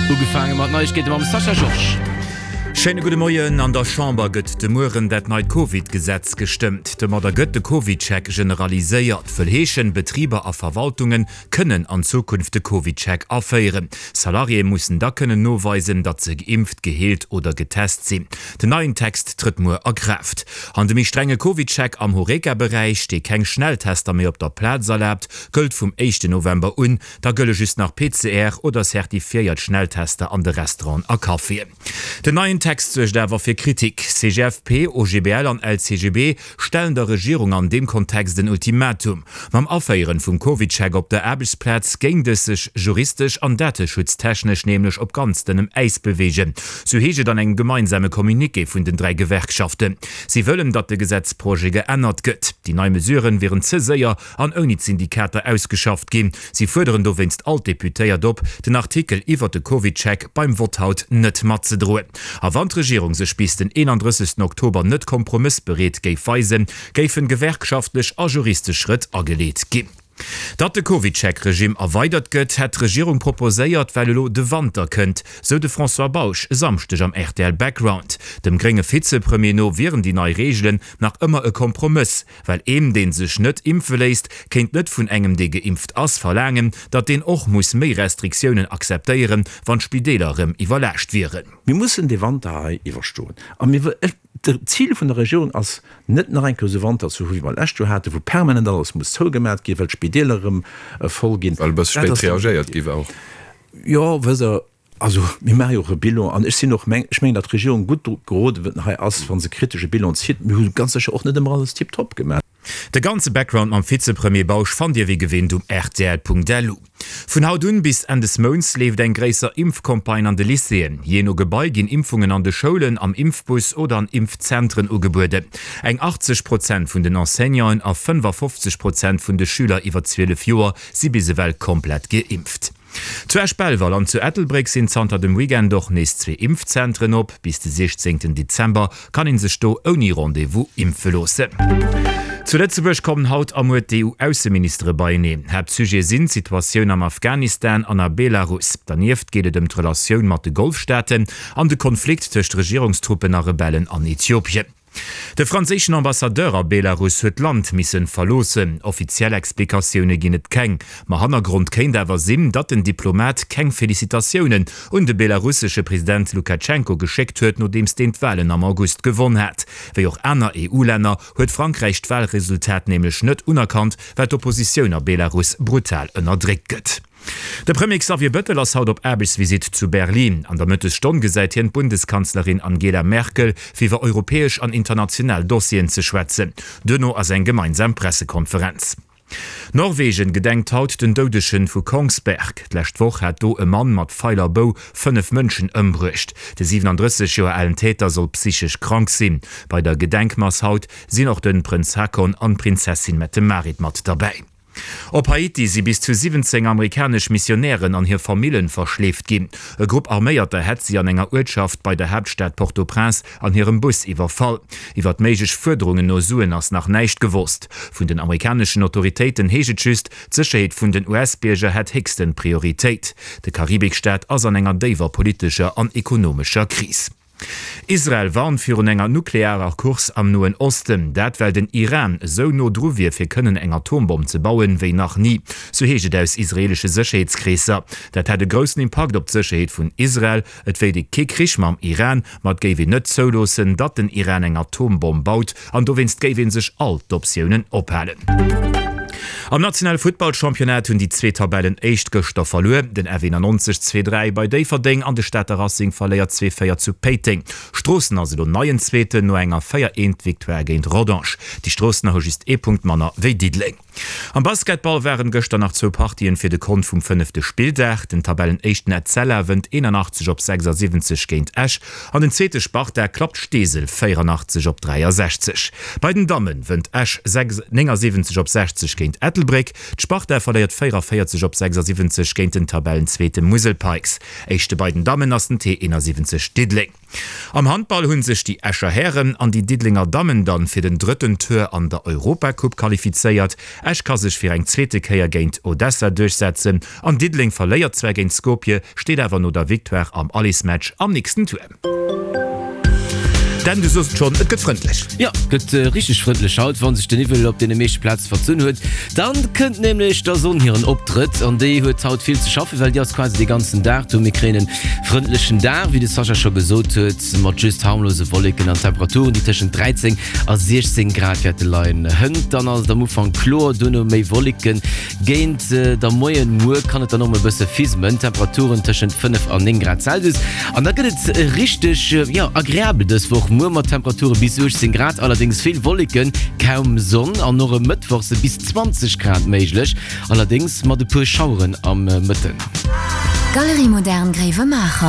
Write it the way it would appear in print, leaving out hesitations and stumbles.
Ugefaange mat Neiegkeete mam Sascha Georges. Schéine gudde Moien. An der Chamber gëtt de Mueren dat neit Covid-Gesetz gestëmmt. Domadder gëtt de CovidCheck generaliséiert. Wëll heeschen, Betriber a Verwaltunge kënnen an Zukunft de CovidCheck aféieren. Salariéë mussen da kënnen noweisen, datt se geimpft, geheelt oder getest sinn. Den neien Text trëtt muer a Kraaft. An de méi strenge CovidCheck am Horeca-Beräich, dee keng Schnelltester méi op der Plaz erlaabt, gëllt vum éischten November un. Da gëlle just nach PCR oder certifiéiert Schnelltester an de Restauranten a Caféen. Den neien Text suergt awer fir Kritik. CGFP, OGBL an LCGB stellen der Regierung an deem Kontext en Ultimatum. Mam Aféieren vum CovidCheck op der Aarbechtsplaz géing dës sech juristesch an dateschutztechnesch nämlech op ganz dënnem Äis beweegen, sou heescht et an engem gemeinsame Communiqué vun den 3 Gewerkschaften. Si wëllen, datt de Gesetzprojet geännert gëtt. Déi nei Mesuren wieren ze séier an ouni d'Syndikater ausgeschafft ginn. Si fuerderen dowéinst all d'Deputéiert op, den Artikel iwwert de CovidCheck beim Vott haut net matzedroen. A wann d'Regierung sech bis den 31 Oktober net kompromëssbereet géif weisen, géifen gewerkschaftlech a juristesch Schrëtt ageleet ginn. Datt de CovidCheck-Regimm erweidert gëtt, hätt d'Regierung proposéiert, well elo de Wanter kënnt, sou de François Bausch e Samschdeg am rtl Background. Dem grénge Vizepremier no wieren déi nei Reegelen nach ëmmer e Kompromëss. Well een, dee sech net impfe léisst, kéint net vun engem, dee geimpft ass, verlaangen, datt deen och muss méi Restriktiounen akzeptéieren, wann d'Spideeler erëm iwwerlaascht wieren. Mir mussen dee Wanter hei iwwerstoen. A mir, ech, d'Zil vun der Regierung ass net, nach eng Kéier esou Wanter ze hu wéi mer d'lescht Joer haten, wou permanent alles muss zougemat ginn, well d'Spideeler erëm voll ginn. Well e bësse spéit reagéiert gi war och. Jo, wësst Der, Also, mir maache jo och e Bilan an ech sinn och, ech mengen, datt d'Regierung gutt geroden hei ass, wa se kritesch e Bilan zitt. Mir hu ganz sécher och net ëmmer alles tiptop gemaach. De ganze Background mam Vizepremier Bausch fannt Dir wéi gewinnt um rtl.lu. Vun haut un bis Enn des Mounts leeft eng gréisser Impfcampagne an de Lycéeën. Jee no Gebai ginn Impfungen an de Schoulen, am Impfbus oder an Impfzentren ugebueden. Eng 80 Prozent vun den Enseignanten a 55 Prozent vun de Schüler iwwer 12 Joer si bis ewell komplett geimpft. Zu Esch-Belval an zu Ettelbréck sinn zanter dem Weekend och nees zwee Impfzentren op. Bis de 16 Dezember kann ee sech do ouni Rendez-vous impfe loossen. Zu Lëtzebuerg kommen haut a muer d'EU-Ausseministere beieneen. Haaptsujete sinn d'Situatioun am Afghanistan an a Belarus. Dernieft geet et ëm d'Relatioun mat de Golfstaaten an de Konflikt tëscht Regierungstruppen a Rebellen an Äthiopien. De franséischen Ambassadeur a Belarus huet d'Land missen verloossen. Offiziell Explikatioune ginn et keng, ma Hannergrond kéint awer sinn, datt den Diplomat keng Felicitatiounen un de belarussesche President Lukatschenko geschéckt huet, nodeems deen d'Walen am August gewonn hat. Wéi och aner EU-Länner huet Frankräich d'Walresultat nämlech net unerkannt, well d'Oppositioun a Belarus brutal ënnerdréckt gëtt. De Premier Xavier Bëttel ass haut op Aarbechtsvisitt zu Berlin. An der Mëttesstonn gesäit hien d'Bundeskanzlerin Angela Merkel, fir iwwer europäesch an international Dossieren ze schwätzen. Duerno ass eng gemeinsam Pressekonferenz. Norwegen gedenkt haut den Doudegen vu Kongsberg. D'lescht Woch hat do e Mann mat Feil a Bou 5 Mënschen ëmbruecht. De 37 Joer alen Täter soll psychesch krank sinn. Bei der Gedenkmass haut sinn och de Prënz Haakon an d'Prinzessin Mette-Marit mat derbäi. Op Haiti si bis zu 17 amerikanesch Missionären an hir Famillen verschleeft ginn. E Grupp Arméierter hätt si an enger Uertschaft bei der Haaptstad Port-au-Prince an hirem Bus iwwerfall. Iwwer méiglech Fuerderungen no Suen ass nach näischt gewosst. Vun den amerikaneschen Autoritéiten heescht et just, d'Sécherheet vun den US-Bierger hätt héchsten Prioritéit. De Karibikstaat ass an enger déiwer politescher an ekonomescher Kris. Israel warnt virun enger nuklearer Course am Noen Osten. Dat well den Iran esou no dru wier fir kënnen eng Atombomm ze bauen, wéi nach ni. Sou heescht et aus israeelesche Sécherheetskreesser. Dat hätt e groussen Impakt op d'Sécherheet vun Israel. Et wéilt ee kee Krich mam Iran, ma et géif een net zouloossen, datt den Iran eng Atombomm baut an dowéinst géif ee sech all d'Optiounen ophalen. Am nationale Futtballchampionnat hunn déi zwee Tabellenéischt gëschter verluer. Den F91 zwee 3 bei Déifferdeng an de Stater Racing verléiert zwee 4 zu Péiteng. Stroossen ass elo neien Zweeten no enger 4 1 Victoire géint Rodange. Déi Stroossener hu just ee Punkt manner wéi Diddeleng. Am Basketball waren gëschter nach zwou Partien fir de Kont vum fënnefte Spilldag. Den Tabellenéischten Etzella wënnt 81 op 76 géint Esch an den zweete Sparta klappt Steesel 84 op 63. Bei den Dammen wënnt Esch 79 op 60 géint. géint Ettelbréck. D'Sparta verléiert 44 op 76 géint den Tabellenzweete Musel Pikes. Éischte bei den Dammen ass den T71 Diddeleng. Am Handball hunn sech déi Escher Hären an déi Diddelenger Dammen dann fir den drëtten Tour an der Europacoupe qualifizéiert. Esch ka sech fir eng zweete Kéier géint Odessa duerchsetzen an Diddeleng verléiert zwar géint Skopje, steet awer no der Victoire am Allesmatch am nächsten Tour. Dan, du sos et schonn, et gëtt frëndlech. Jo, et gëtt richteg frëndlech haut, wann sech de Niwwel op deene meeschte Plaze verzunn huet. Dann kënnt nämlech der Sonn hiren Optrëtt an déi huet haut vill ze schaffen, well déi ass quasi de ganzen Dag do. Mir kréien en frëndlechen Dag, wéi de Sascha scho gesot huet, mat just harmlose Wolleken an Temperaturen, déi tëschent 13 a 16 Grad wäerte leien. Hënt dann ass et am Ufank kloer, duerno méi Wolleken. Géint der Moien muer kann et dann och mol e bësse fismen, Temperaturen tëschent 5 an 9 Grad Celsius. An da gëtt et richteg, jo, agreabel dës Woch muer mat Temperature bis 18 Grad, allerdéngs vill Wolleken, kaum Sonn an och e Mëttwoch si bis 20 Grad méiglech, allerdéngs mat e puer Schaueren am Mëtten. Galerie Moderne Gréiwemaacher.